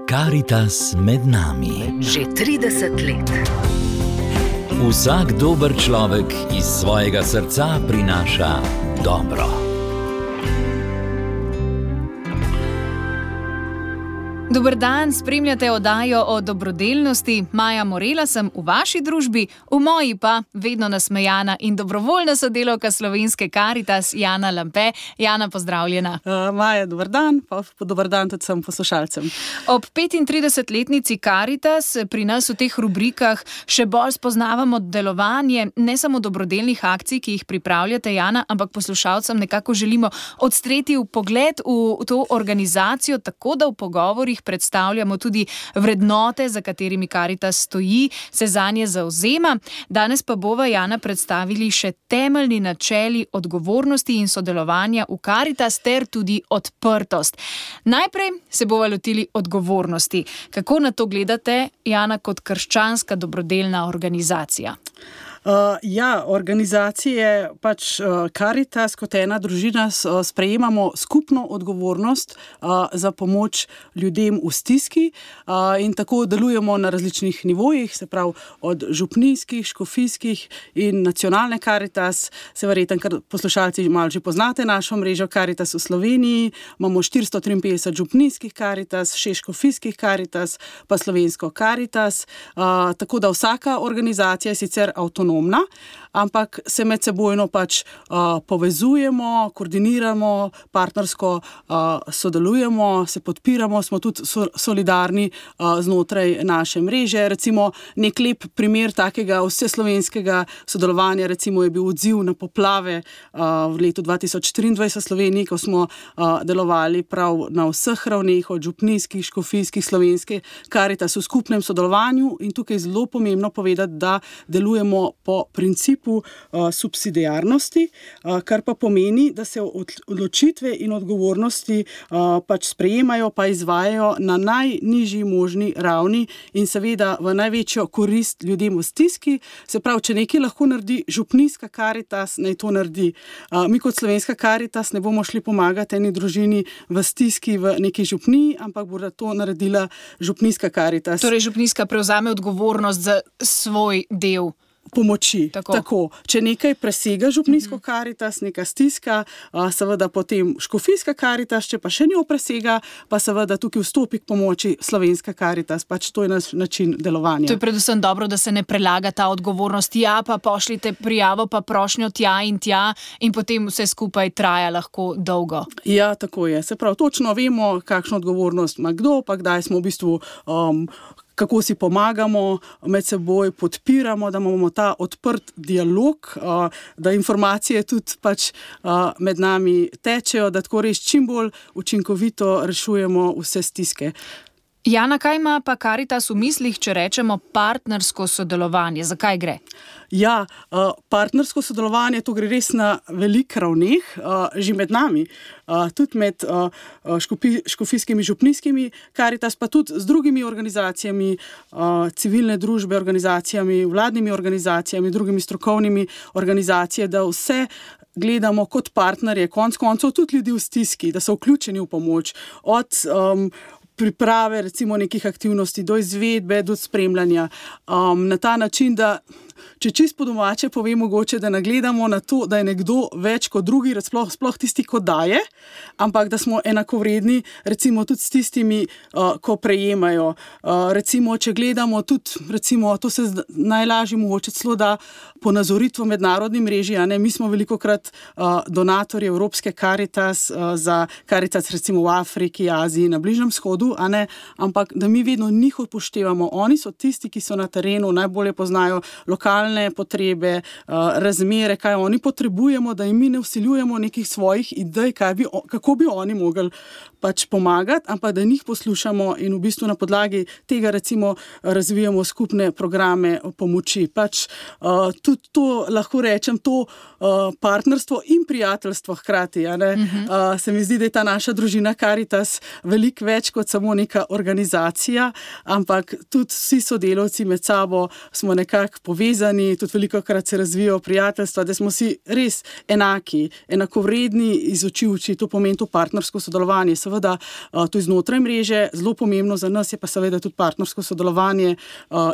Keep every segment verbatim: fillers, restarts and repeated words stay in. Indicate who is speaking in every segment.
Speaker 1: Karitas med nami.
Speaker 2: Že trideset let.
Speaker 1: Vsak dober človek iz svojega srca prinaša dobro.
Speaker 3: Dober dan, spremljate oddajo o dobrodelnosti. Maja Morela sem v vaši družbi, v moji pa vedno nasmejana in dobrovoljna sodelavka slovenske Karitas Jana Lampe. Jana, pozdravljena.
Speaker 4: Uh, Maja, dober dan, pa dober dan tudi vsem poslušalcem.
Speaker 3: Ob petintridesetletnici Karitas pri nas v teh rubrikah še bolj spoznavamo delovanje ne samo dobrodelnih akcij, ki jih pripravljate, Jana, ampak poslušalcem nekako želimo odstreti vpogled v to organizacijo, tako da v pogovorih predstavljamo tudi vrednote, za katerimi Karitas stoji, se zanje zavzema. Danes pa bova, Jana, predstavili še temeljni načeli odgovornosti in sodelovanja v Karitas ter tudi odprtost. Najprej se bova lotili odgovornosti. Kako na to gledate, Jana, kot krščanska dobrodelna organizacija?
Speaker 4: Uh, ja, organizacije, pač uh, Karitas kot ena družina uh, sprejemamo skupno odgovornost uh, za pomoč ljudem v stiski uh, in tako delujemo na različnih nivojih, se pravi od župnijskih, škofijskih in nacionalne Karitas. Se verjetno, ker poslušalci malo že poznate našo mrežo Karitas v Sloveniji, imamo štiristo triinpetdeset župnijskih Karitas, šest škofijskih Karitas, pa slovensko Karitas, uh, tako da vsaka organizacija je sicer avtonomna, ampak se med sebojno pač uh, povezujemo, koordiniramo, partnersko uh, sodelujemo, se podpiramo, smo tudi so, solidarni uh, znotraj naše mreže. Recimo nek lep primer takega vseslovenskega sodelovanja recimo je bil odziv na poplave uh, v letu dva tisoč triindvajset v Sloveniji, ko smo uh, delovali prav na vseh ravneh, od župnijskih, škofijskih, slovenske Karitas v skupnem sodelovanju in tukaj je zelo pomembno povedati, da delujemo po principu uh, subsidiarnosti, uh, kar pa pomeni, da se odločitve in odgovornosti uh, pač sprejemajo, pa izvajajo na najnižji možni ravni in seveda v največjo korist ljudem v stiski. Se pravi, če nekaj lahko naredi župnijska Karitas, naj to naredi. Uh, mi kot slovenska Karitas ne bomo šli pomagati eni družini v stiski v neki župniji, ampak bo to naredila župnijska Karitas.
Speaker 3: Torej župnijska prevzame odgovornost za svoj del
Speaker 4: pomoči.
Speaker 3: Tako.
Speaker 4: Tako. Če nekaj presega župnijsko Karitas, neka stiska, seveda potem škofijska Karitas, če pa še njo presega, pa seveda tukaj vstopi k pomoči slovenska Karitas. Pač to je naš način delovanja.
Speaker 3: To je predvsem dobro, da se ne prelaga ta odgovornost. Ja, pa pošljite prijavo, pa prošnjo tja in tja in potem vse skupaj traja lahko dolgo.
Speaker 4: Ja, tako je. Se pravi, točno vemo, kakšno odgovornost ima kdo, pa kdaj smo v bistvu um, kako si pomagamo, med seboj podpiramo, da imamo ta odprt dialog, da informacije tudi pač med nami tečejo, da tako res čim bolj učinkovito rešujemo vse stiske.
Speaker 3: Jana, kaj ima pa Karitas v mislih, če rečemo partnersko sodelovanje? Zakaj gre?
Speaker 4: Ja, partnersko sodelovanje, to gre res na velik ravneh, že med nami, tudi med škofijskimi, župnijskimi Karitas, pa tudi z drugimi organizacijami, civilne družbe, organizacijami, vladnimi organizacijami, drugimi strokovnimi organizacijami, da vse gledamo kot partnerje, konec koncev tudi ljudi v stiski, da so vključeni v pomoč, od um, priprave recimo nekih aktivnosti, do izvedbe, do spremljanja. Um, na ta način, da če čist po domače povem mogoče, da nagledamo na to, da je nekdo več kot drugi, sploh, sploh tisti, ko daje, ampak da smo enakovredni recimo tudi s tistimi, uh, ko prejemajo. Uh, recimo, če gledamo tudi, recimo, to se najlažje mogoče celo da ponazoriti v mednarodni mreži, a ne, mi smo velikokrat uh, donatorji Evropske Karitas uh, za Karitas recimo v Afriki, Aziji, na Bližnjem vzhodu, a ne, ampak da mi vedno njih upoštevamo. Oni so tisti, ki so na terenu, najbolje poznajo lokalne potrebe, razmere, kaj oni potrebujemo, da jim mi ne vsiljujemo nekih svojih idej, kaj bi, kako bi oni mogli pač pomagati, ampak da njih poslušamo in v bistvu na podlagi tega recimo razvijamo skupne programe pomoči. Pač uh, tudi to, lahko rečem, to uh, partnerstvo in prijateljstvo hkrati, a ne? Uh-huh. Uh, se mi zdi, da je ta naša družina Karitas veliko več kot samo neka organizacija, ampak tudi vsi sodelavci med sabo smo nekako povezani povezani, tudi veliko krat se razvijajo prijateljstva, da smo si res enaki, enakovredni iz oči v oči, to pomeni to partnersko sodelovanje. Seveda, to je znotraj mreže, zelo pomembno za nas je pa seveda tudi partnersko sodelovanje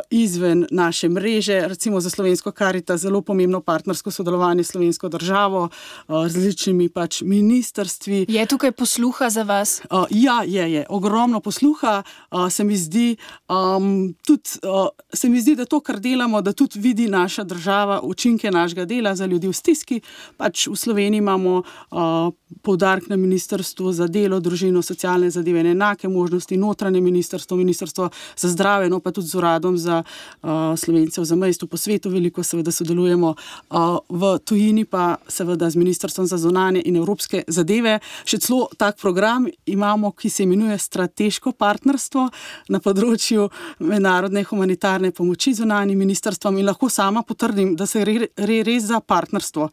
Speaker 4: izven naše mreže, recimo za Slovensko Karitas zelo pomembno partnersko sodelovanje s slovensko državo, različnimi pač ministrstvi.
Speaker 3: Je tukaj posluha za vas?
Speaker 4: Ja, je, je. Ogromno posluha, se mi zdi, um, tudi, se mi zdi, da to, kar delamo, da tudi vidi naša država učinke našega dela za ljudi v stiski. Pač v Sloveniji imamo uh, poudarek na ministrstvu za delo, družino, socialne zadeve in enake možnosti, notranje ministrstvo, ministrstvo za zdravje, no pa tudi z uradom za uh, Slovence v zamejstvu po svetu veliko seveda sodelujemo, uh, v tujini pa seveda z ministrstvom za zunanje in evropske zadeve. Še celo tak program imamo, ki se imenuje strateško partnerstvo na področju mednarodne humanitarne pomoči zunanjim ministrstvom in lahko sama potrdim, da se re, re, res za partnerstvo.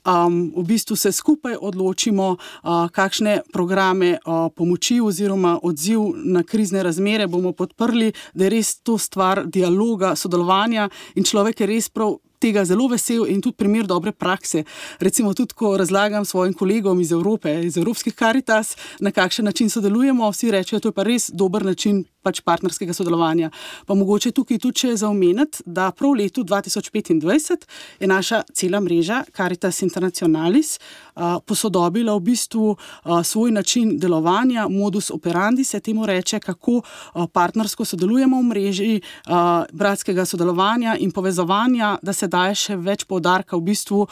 Speaker 4: Um, v bistvu se skupaj odločimo, uh, kakšne programe uh, pomoči oziroma odziv na krizne razmere bomo podprli, da je res to stvar dialoga, sodelovanja in človek je res prav tega zelo vesel in tudi primer dobre prakse. Recimo tudi, ko razlagam svojim kolegom iz Evrope, iz Evropskih Karitas, na kakšen način sodelujemo, vsi rečejo, to je pa res dober način pač partnerskega sodelovanja. Pa mogoče tukaj tudi še zaomeniti, da prav v letu dva tisoč petindvajset je naša cela mreža Caritas Internationalis uh, posodobila v bistvu uh, svoj način delovanja, modus operandi se temu reče, kako uh, partnersko sodelujemo v mreži uh, bratskega sodelovanja in povezovanja, da se daje še več poudarka v bistvu uh,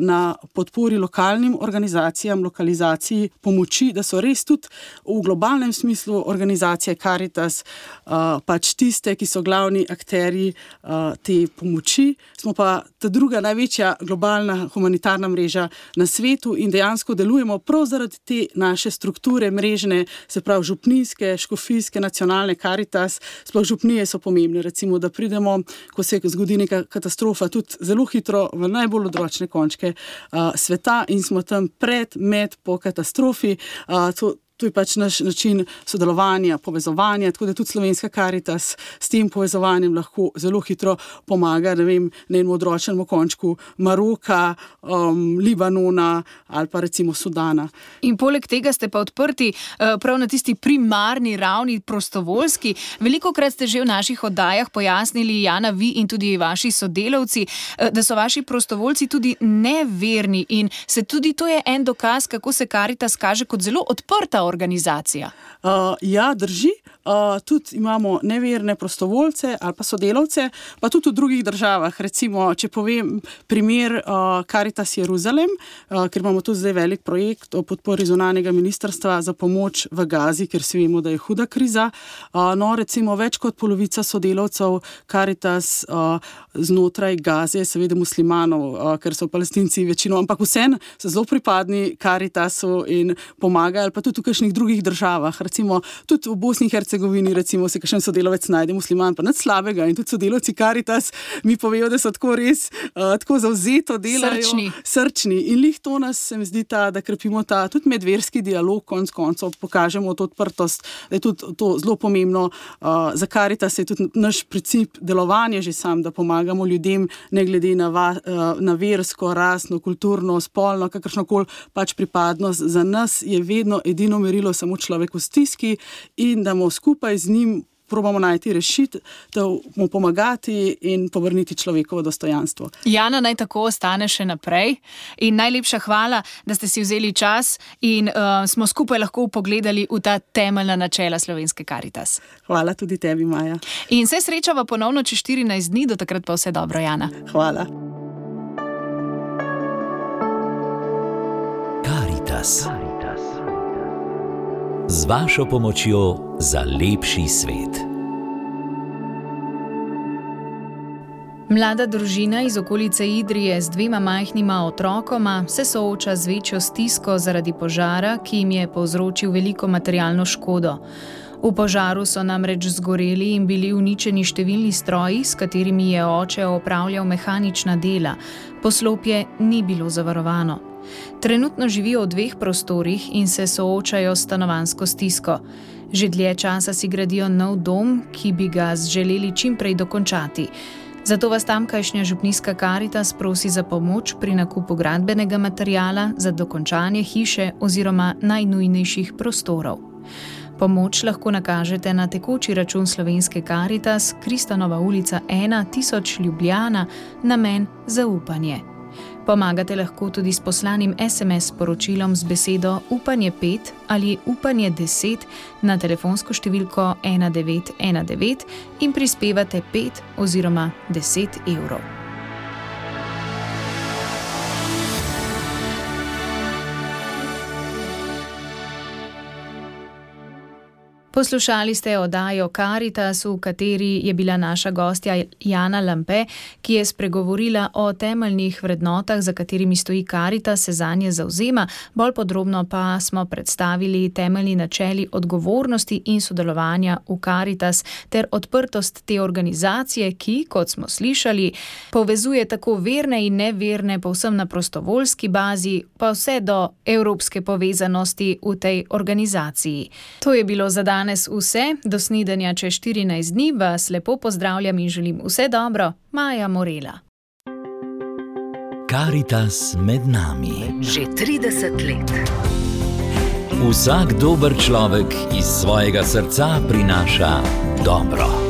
Speaker 4: na podpori lokalnim organizacijam, lokalizaciji pomoči, da so res tudi v globalnem smislu organizacije Caritas uh, pač tiste, ki so glavni akterji uh, te pomoči. Smo pa ta druga največja globalna humanitarna mreža na svetu in dejansko delujemo prav zaradi te naše strukture mrežne, se pravi župnijske, škofijske, nacionalne Caritas, sploh župnije so pomembne, recimo, da pridemo, ko se zgodi neka katastrofa, tudi zelo hitro v najbolj odročne končke uh, sveta in smo tam pred, med, po katastrofi. Uh, to, To je pač naš način sodelovanja, povezovanja, tako da tudi Slovenska Karitas s tem povezovanjem lahko zelo hitro pomaga, ne vem, na enem odročnem končku Maroka, um, Libanona ali pa recimo Sudana.
Speaker 3: In poleg tega ste pa odprti uh, prav na tisti primarni ravni prostovoljski. Velikokrat ste že v naših oddajah pojasnili, Jana, vi in tudi vaši sodelavci, uh, da so vaši prostovoljci tudi neverni in se tudi to je en dokaz, kako se Karitas kaže kot zelo odprta organizacija.
Speaker 4: Uh, ja, drži. Uh, tudi imamo neverne prostovoljce ali pa sodelavce, pa tudi v drugih državah. Recimo, če povem primer uh, Caritas Jeruzalem, uh, ker imamo tudi zdaj velik projekt o podpori zunanjega ministrstva za pomoč v Gazi, ker si vemo, da je huda kriza. Uh, no, recimo, več kot polovica sodelavcev Caritas uh, znotraj Gaze, seveda muslimanov, uh, ker so Palestinci večino, ampak vseeno so zelo pripadni Caritasu in pomagajo, ali pa tudi v kakšnih drugih državah. Recimo, tudi v Bosni in Hercegovini, recimo, se kakšen sodelavec najde musliman, pa nič slabega in tudi sodelavci Caritas mi povejo, da so tako res uh, tako zavzeto delajo.
Speaker 3: Srčni.
Speaker 4: Srčni. In lih to nas, se mi zdi, ta, da krepimo ta tudi medverski dialog, konc koncev pokažemo to odprtost, da je tudi to zelo pomembno. Uh, za Caritas je tudi naš princip delovanja že sam, da pomagamo ljudem, ne glede na, va, uh, na versko, rasno, kulturno, spolno, kakršnokoli pač pripadnost. Za nas je vedno edino merilo samo človek v stiski in da mu skupaj z njim probamo najti rešitev, mu pomagati in povrniti človekovo dostojanstvo.
Speaker 3: Jana, naj tako ostane še naprej in najlepša hvala, da ste si vzeli čas in uh, smo skupaj lahko pogledali v ta temeljna načela Slovenske Karitas.
Speaker 4: Hvala tudi tebi, Maja.
Speaker 3: In se srečava ponovno čez štirinajst dni, do takrat pa vse dobro, Jana.
Speaker 4: Hvala.
Speaker 1: Caritas. Z vašo pomočjo za lepši svet.
Speaker 3: Mlada družina iz okolice Idrije z dvema majhnima otrokoma se sooča z večjo stisko zaradi požara, ki jim je povzročil veliko materialno škodo. V požaru so namreč zgoreli in bili uničeni številni stroji, s katerimi je oče opravljal mehanična dela. Poslopje ni bilo zavarovano. Trenutno živijo v dveh prostorih in se soočajo s stanovanjsko stisko. Že dlje časa si gradijo nov dom, ki bi ga želeli čim prej dokončati. Zato vas tamkajšnja župnijska Karitas prosi za pomoč pri nakupu gradbenega materiala za dokončanje hiše oziroma najnujnejših prostorov. Pomoč lahko nakažete na tekoči račun Slovenske Karitas, Kristanova ulica ena tisoč Ljubljana, namen zaupanje. Pomagate lahko tudi s poslanim es em es sporočilom z besedo Upanje pet ali Upanje deset na telefonsko številko ena devet ena devet in prispevate pet oziroma deset evrov. Poslušali ste oddajo Karitas, v kateri je bila naša gostja Jana Lampe, ki je spregovorila o temeljnih vrednotah, za katerimi stoji Karitas, se zanje zavzema. Bolj podrobno pa smo predstavili temeljni načeli odgovornosti in sodelovanja v Karitas ter odprtost te organizacije, ki, kot smo slišali, povezuje tako verne in neverne povsem na prostovoljski bazi, pa vse do evropske povezanosti v tej organizaciji. To je bilo za danes vse, do snidenja čez štirinajst dni vas lepo pozdravljam in želim vse dobro, Maja Morela.
Speaker 1: Karitas med nami.
Speaker 2: Že trideset let.
Speaker 1: Vsak dober človek iz svojega srca prinaša dobro.